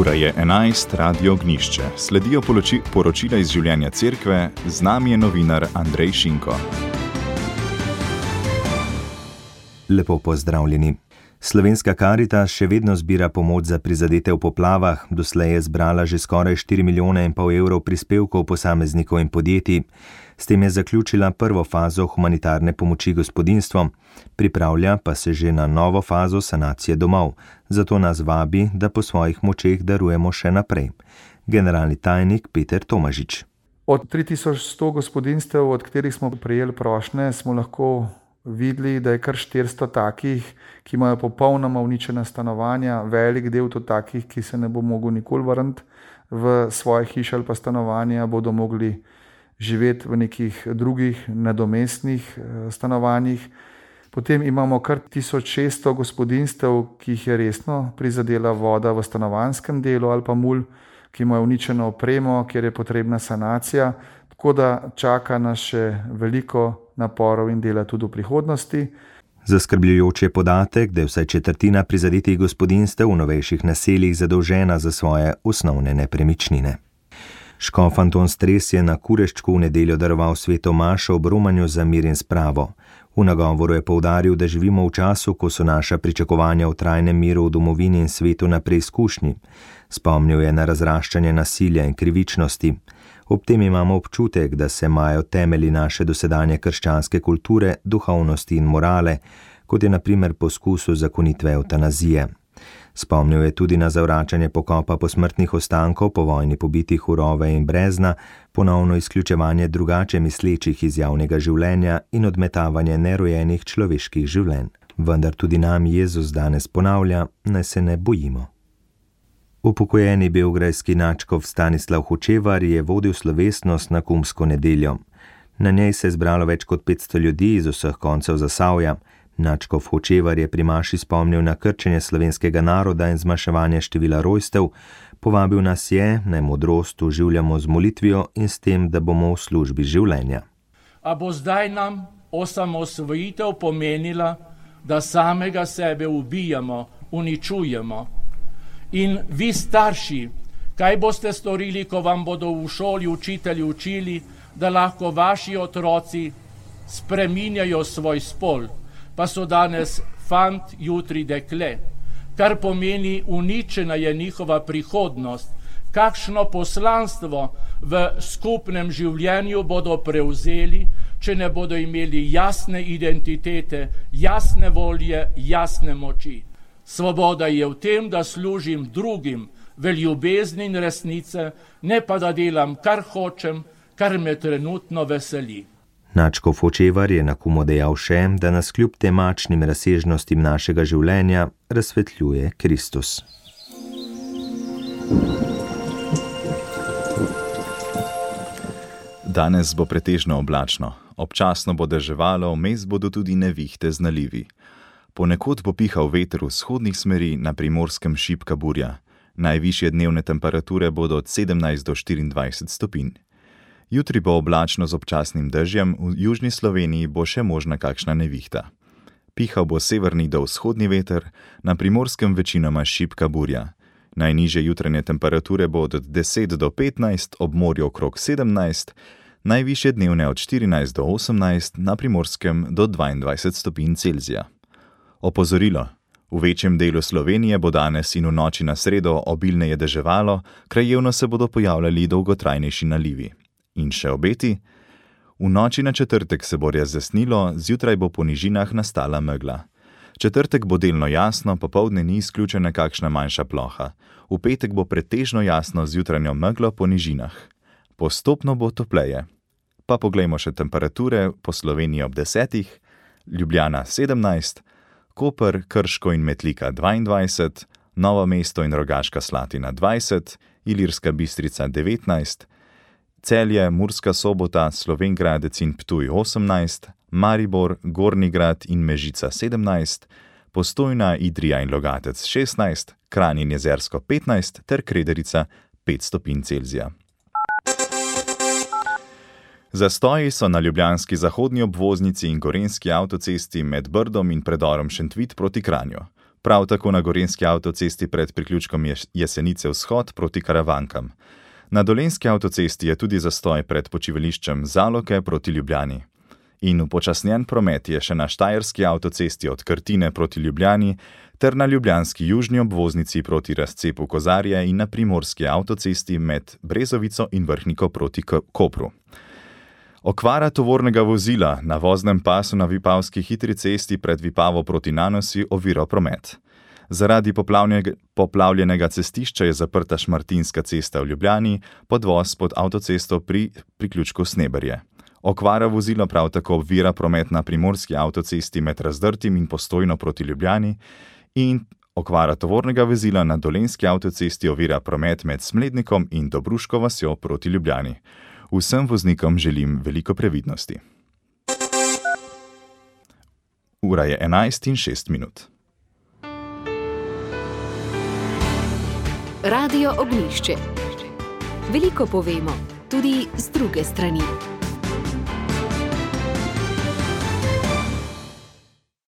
Ura je 11, Radio Ognišče. Sledijo poročila iz življenja cerkve, z nami je novinar Andrej Šinko. Lepo pozdravljeni. Slovenska Karitas še vedno zbira pomoč za prizadete v poplavah, doslej je zbrala že skoraj 4,5 milijona evrov prispevkov posameznikov in podjetij. S tem je zaključila prvo fazo humanitarne pomoči gospodinjstvom, pripravlja pa se že na novo fazo sanacije domov, zato nas vabi, da po svojih močeh darujemo še naprej. Generalni tajnik Peter Tomažič. Od 3100 gospodinjstev, od katerih smo prejeli prošnje, smo lahko videli, da je kar 400 takih, ki imajo popolnoma uničena stanovanja, velik del tudi takih, ki se ne bo mogel nikoli vrniti v svoje hiše ali pa stanovanja, bodo mogli živeti v nekih drugih nadomestnih stanovanjih. Potem imamo kar 1600 gospodinjstev, ki jih je resno prizadela voda v stanovanjskem delu ali pa mulj, ki imajo uničeno opremo, kjer je potrebna sanacija, tako da čaka nas še veliko naporov in dela tudi v prihodnosti. Zaskrbljujoč je podatek, da je vsaj četrtina prizadetih gospodinjstev v novejših naseljih zadolžena za svoje osnovne nepremičnine. Škof Anton Stres je na Kureščku v nedeljo daroval sveto mašo ob romanju za mir in spravo. V nagovoru je poudaril, da živimo v času, ko so naša pričakovanja o trajnem miru v domovini in svetu na preizkušnji. Spomnil je na razraščanje nasilja in krivičnosti. Ob tem imamo občutek, da se majo temelji naše dosedanje krščanske kulture, duhovnosti in morale, kot je na primer poskus uzakonitve evtanazije. Spomnil je tudi na zavračanje pokopa posmrtnih ostankov po vojni pobitih v Rove in Brezna, ponovno izključevanje drugače mislečih iz javnega življenja in odmetavanje nerojenih človeških življenj. Vendar tudi nam Jezus danes ponavlja, naj se ne bojimo. Upokojeni beograjski nadškof Stanislav Hočevar je vodil slovesnost na kumsko nedeljo. Na njej se je zbralo več kot 500 ljudi iz vseh koncev Zasavja. Nadškof Hočevar je pri maši spomnil na krčenje slovenskega naroda in zmanjševanje števila rojstev, povabil nas je, naj modrost oživljamo z molitvijo in s tem, da bomo v službi življenja. A bo zdaj nam osamosvojitev pomenila, da samega sebe ubijamo, uničujemo? In vi starši, kaj boste storili, ko vam bodo v šoli učitelji učili, da lahko vaši otroci spreminjajo svoj spol, pa so danes fant, jutri dekle, kar pomeni uničena je njihova prihodnost, kakšno poslanstvo v skupnem življenju bodo prevzeli, če ne bodo imeli jasne identitete, jasne volje, jasne moči. Svoboda je v tem, da služim drugim v ljubezni in resnice, ne pa da delam, kar hočem, kar me trenutno veseli. Nadškof Hočevar je na kumu dejal še, da nas kljub temačnim razsežnostim našega življenja razsvetljuje Kristus. Danes bo pretežno oblačno. Občasno bo deževalo, vmes bodo tudi nevihte z nalivi. Ponekod bo pihal veter v vzhodnih smeri, na Primorskem šibka burja. Najvišje dnevne temperature bodo od 17 do 24 stopinj. Jutri bo oblačno z občasnim dežjem, v južni Sloveniji bo še možna kakšna nevihta. Pihal bo severni do vzhodni veter, na Primorskem večinoma šibka burja. Najnižje jutranje temperature bo od 10 do 15, ob morju okrog 17, najvišje dnevne od 14 do 18, na Primorskem do 22 stopinj Celzija. Opozorilo. V večjem delu Slovenije bo danes in v noči na sredo obilneje deževalo, krajevno se bodo pojavljali dolgotrajnejši nalivi. In še obeti. V noči na četrtek se bo razjasnilo, zjutraj bo po nižinah nastala megla. Četrtek bo delno jasno, popoldne ni izključena kakšna manjša ploha. V petek bo pretežno jasno z jutranjo meglo po nižinah. Postopno bo topleje. Pa poglejmo še temperature po Sloveniji ob 10, Ljubljana 17, Koper, Krško in Metlika 22, Novo mesto in Rogaška Slatina 20, Ilirska Bistrica 19, Celje, Murska Sobota, Slovenj Gradec in Ptuj 18, Maribor, Gornji Grad in Mežica 17, Postojna, Idrija in Logatec 16, Kranj in Jezersko 15 ter Krederica 5 stopinj Celzija. Zastoji so na ljubljanski zahodni obvoznici in gorenjski avtocesti med Brdom in predorom Šentvid proti Kranju. prav tako na gorenjski avtocesti pred priključkom Jesenice vzhod proti Karavankam. Na dolenjski avtocesti je tudi zastoj pred počivališčem Zaloke proti Ljubljani. In upočasnjen promet je še na štajerski avtocesti od Krtine proti Ljubljani ter na ljubljanski južni obvoznici proti razcepu Kozarje in na primorski avtocesti med Brezovico in Vrhniko proti Kopru. Okvara tovornega vozila na voznem pasu na vipavski hitri cesti pred Vipavo proti Nanosi ovira promet. Zaradi poplavljenega cestišča je zaprta Šmartinska cesta v Ljubljani, podvoz pod avtocesto pri priključku Sneberje. Okvara vozila prav tako ovira promet na primorski avtocesti med Razdrtim in Postojno proti Ljubljani in okvara tovornega vozila na dolenjski avtocesti ovira promet med Smlednikom in Dobruško vasjo proti Ljubljani. Vsem voznikom želim veliko previdnosti. Ura je 11:06. Radio Ognjišče. Veliko povemo, tudi z druge strani.